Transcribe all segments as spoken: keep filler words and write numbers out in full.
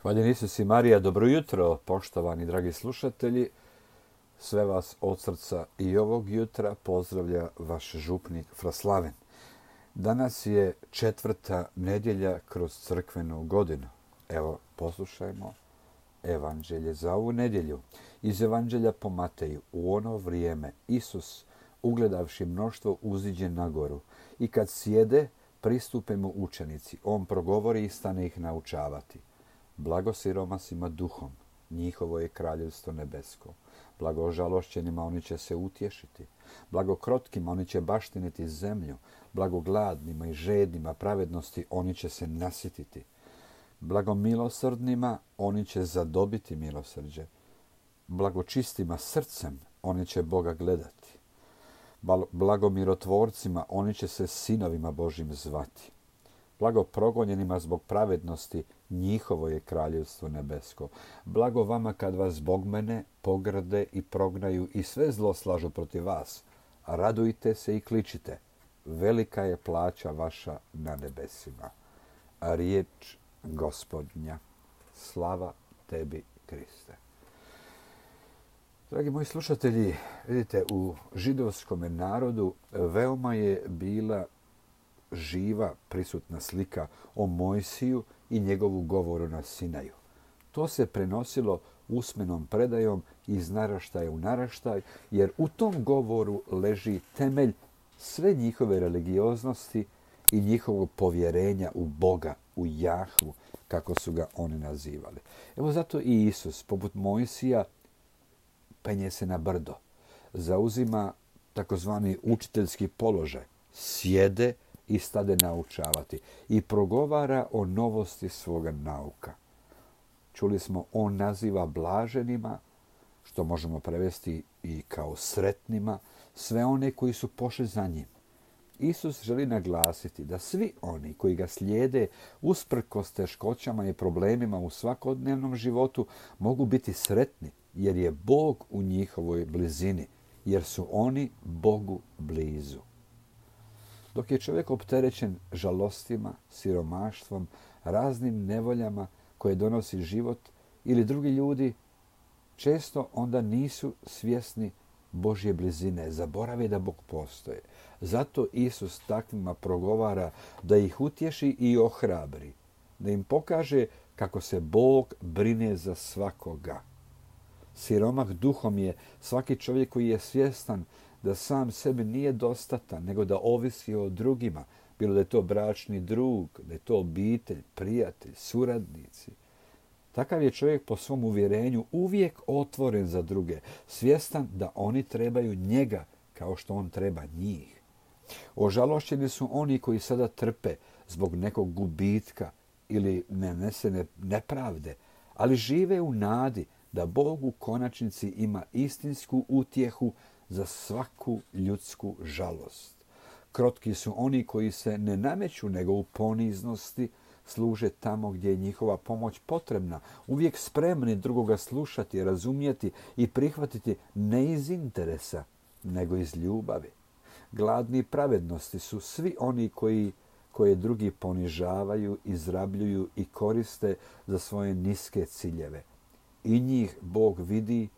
Hvaljen Isus i Marija, dobro jutro, poštovani dragi slušatelji. Sve vas od srca i ovog jutra pozdravlja vaš župnik Fraslaven. Danas je četvrta nedjelja kroz crkvenu godinu. Evo, poslušajmo evanđelje za ovu nedjelju. Iz evanđelja po Mateju, u ono vrijeme Isus, ugledavši mnoštvo, uziđe na goru i kad sjede, pristupe mu učenici. On progovori i stane ih naučavati. Blago siromasima duhom, njihovo je kraljevstvo nebesko. Blago žalošćenima, oni će se utješiti. Blago krotkima, oni će baštiniti zemlju. Blago gladnima i žednima pravednosti, oni će se nasititi. Blago milosrdnima, oni će zadobiti milosrđe. Blago čistima srcem, oni će Boga gledati. Blago mirotvorcima, oni će se sinovima Božim zvati. Blago progonjenima zbog pravednosti, njihovo je kraljevstvo nebesko. Blago vama kad vas zbog mene pogrde i prognaju i sve zlo slažu protiv vas. Radujte se i kličite. Velika je plaća vaša na nebesima. A riječ Gospodnja. Slava tebi, Kriste. Dragi moji slušatelji, vidite, u židovskom narodu veoma je bila živa prisutna slika o Mojsiju i njegovu govoru na Sinaju. To se prenosilo usmenom predajom iz naraštaja u naraštaj, jer u tom govoru leži temelj sve njihove religioznosti i njihovog povjerenja u Boga, u Jahvu, kako su ga oni nazivali. Evo zato i Isus, poput Mojsija, penje se na brdo, zauzima takozvani učiteljski položaj, sjede i stade naučavati i progovara o novosti svoga nauka. Čuli smo, on naziva blaženima, što možemo prevesti i kao sretnima, sve one koji su pošli za njim. Isus želi naglasiti da svi oni koji ga slijede usprkos teškoćama i problemima u svakodnevnom životu mogu biti sretni, jer je Bog u njihovoj blizini, jer su oni Bogu blizu. Dok je čovjek opterećen žalostima, siromaštvom, raznim nevoljama koje donosi život ili drugi ljudi, često onda nisu svjesni Božje blizine, zaborave da Bog postoje. Zato Isus takvima progovara da ih utješi i ohrabri, da im pokaže kako se Bog brine za svakoga. Siromah duhom je svaki čovjek koji je svjestan da sam sebi nije dostatan, nego da ovisi o drugima, bilo da je to bračni drug, da je to obitelj, prijatelj, suradnici. Takav je čovjek po svom uvjerenju uvijek otvoren za druge, svjestan da oni trebaju njega kao što on treba njih. Ožalošćeni su oni koji sada trpe zbog nekog gubitka ili nanesene nepravde, ali žive u nadi da Bog u konačnici ima istinsku utjehu za svaku ljudsku žalost. Krotki su oni koji se ne nameću nego u poniznosti služe tamo gdje je njihova pomoć potrebna, uvijek spremni drugoga slušati, razumjeti i prihvatiti ne iz interesa, nego iz ljubavi. Gladni pravednosti su svi oni koji, koje drugi ponižavaju, izrabljuju i koriste za svoje niske ciljeve. I njih Bog vidi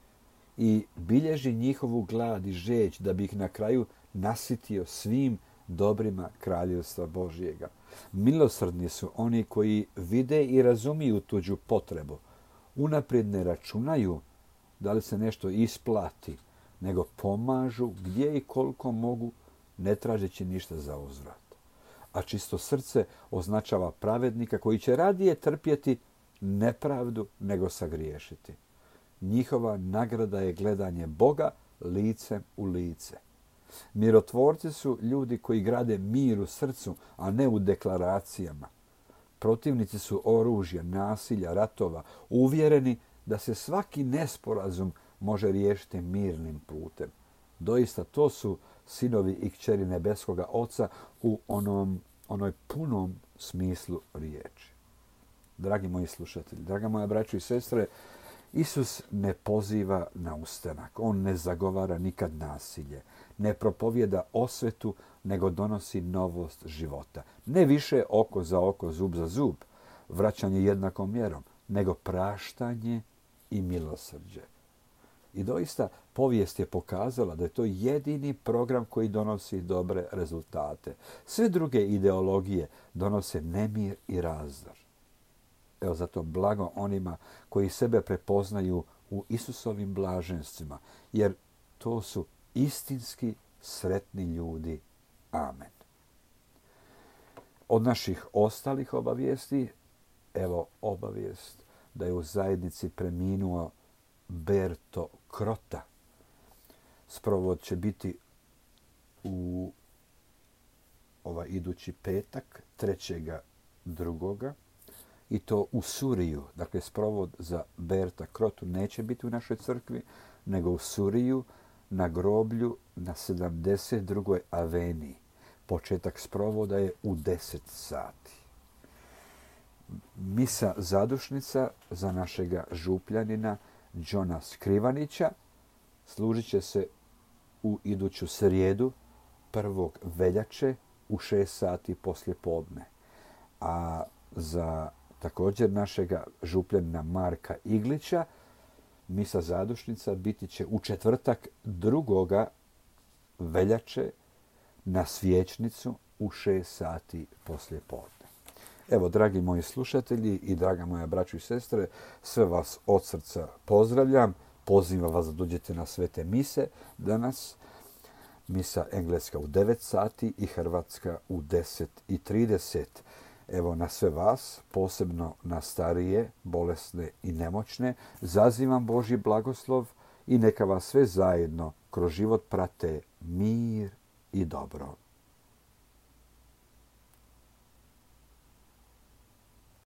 i bilježi njihovu glad i žeđ da bi ih na kraju nasitio svim dobrima kraljevstva Božjega. Milosrdni su oni koji vide i razumiju tuđu potrebu. Unaprijed ne računaju da li se nešto isplati, nego pomažu gdje i koliko mogu, ne tražeći ništa za uzvrat. A čisto srce označava pravednika koji će radije trpjeti nepravdu nego sagriješiti. Njihova nagrada je gledanje Boga licem u lice. Mirotvorci su ljudi koji grade mir u srcu, a ne u deklaracijama. Protivnici su oružja, nasilja, ratova, uvjereni da se svaki nesporazum može riješiti mirnim putem. Doista to su sinovi i kćeri nebeskoga Oca u onom, onoj punom smislu riječi. Dragi moji slušatelji, draga moja braćo i sestre, Isus ne poziva na ustanak, on ne zagovara nikad nasilje, ne propovjeda osvetu, nego donosi novost života. Ne više oko za oko, zub za zub, vraćanje jednakom mjerom, nego praštanje i milosrđe. I doista povijest je pokazala da je to jedini program koji donosi dobre rezultate. Sve druge ideologije donose nemir i razdor. Evo zato blago onima koji sebe prepoznaju u Isusovim blaženstvima, jer to su istinski sretni ljudi. Amen. Od naših ostalih obavijesti, evo obavijest da je u zajednici preminuo Berto Krota. Sprovod će biti u ovaj idući petak, trećega drugoga, i to u Suriju. Dakle, sprovod za Berta Krotu neće biti u našoj crkvi, nego u Suriju na groblju na sedamdeset drugoj aveniji. Početak sprovoda je u deset sati. Misa zadušnica za našega župljanina Đona Skrivanića služit će se u iduću srijedu, prvog veljače u šest sati poslje podne. A za također našega župljanina Marka Iglića misa zadušnica biti će u četvrtak drugoga veljače na Svječnicu u šest sati poslje podne. Evo, dragi moji slušatelji i draga moja braćo i sestre, sve vas od srca pozdravljam. Pozivam vas da dođete na svete mise danas. Misa engleska u devet sati i hrvatska u deset i trideset. Evo, na sve vas, posebno na starije, bolesne i nemoćne, zazivam Božji blagoslov i neka vas sve zajedno kroz život prate mir i dobro.